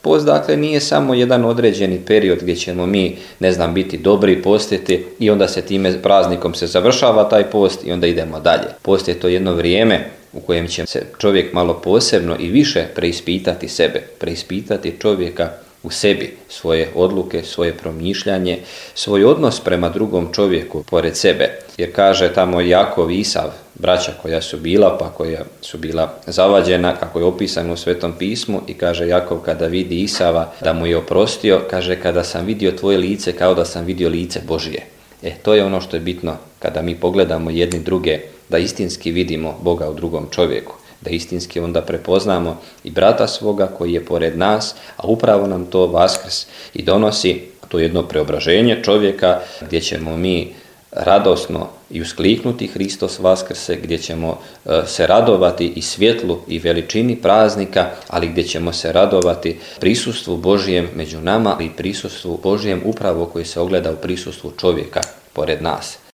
Post dakle nije samo jedan određeni period gdje ćemo mi, biti dobri, postiti i onda se time praznikom se završava taj post i onda idemo dalje. Post je to jedno vrijeme u kojem će se čovjek malo posebno i više preispitati sebe, preispitati čovjeka u sebi, svoje odluke, svoje promišljanje, svoj odnos prema drugom čovjeku pored sebe. Jer kaže tamo Jakov i Isav, braća koja su bila, pa koja su bila zavađena, kako je opisano u Svetom pismu, i kaže Jakov kada vidi Isava da mu je oprostio, kaže kada sam vidio tvoje lice kao da sam vidio lice Božije. To je ono što je bitno kada mi pogledamo jedni druge, da istinski vidimo Boga u drugom čovjeku, da istinski onda prepoznamo i brata svoga koji je pored nas, a upravo nam to Vaskrs i donosi, to jedno preobraženje čovjeka gdje ćemo mi radosno i uskliknuti Hristos Vaskrse, gdje ćemo se radovati i svjetlu i veličini praznika, ali gdje ćemo se radovati prisustvu Božijem među nama i prisustvu Božijem upravo koji se ogleda u prisustvu čovjeka pored nas.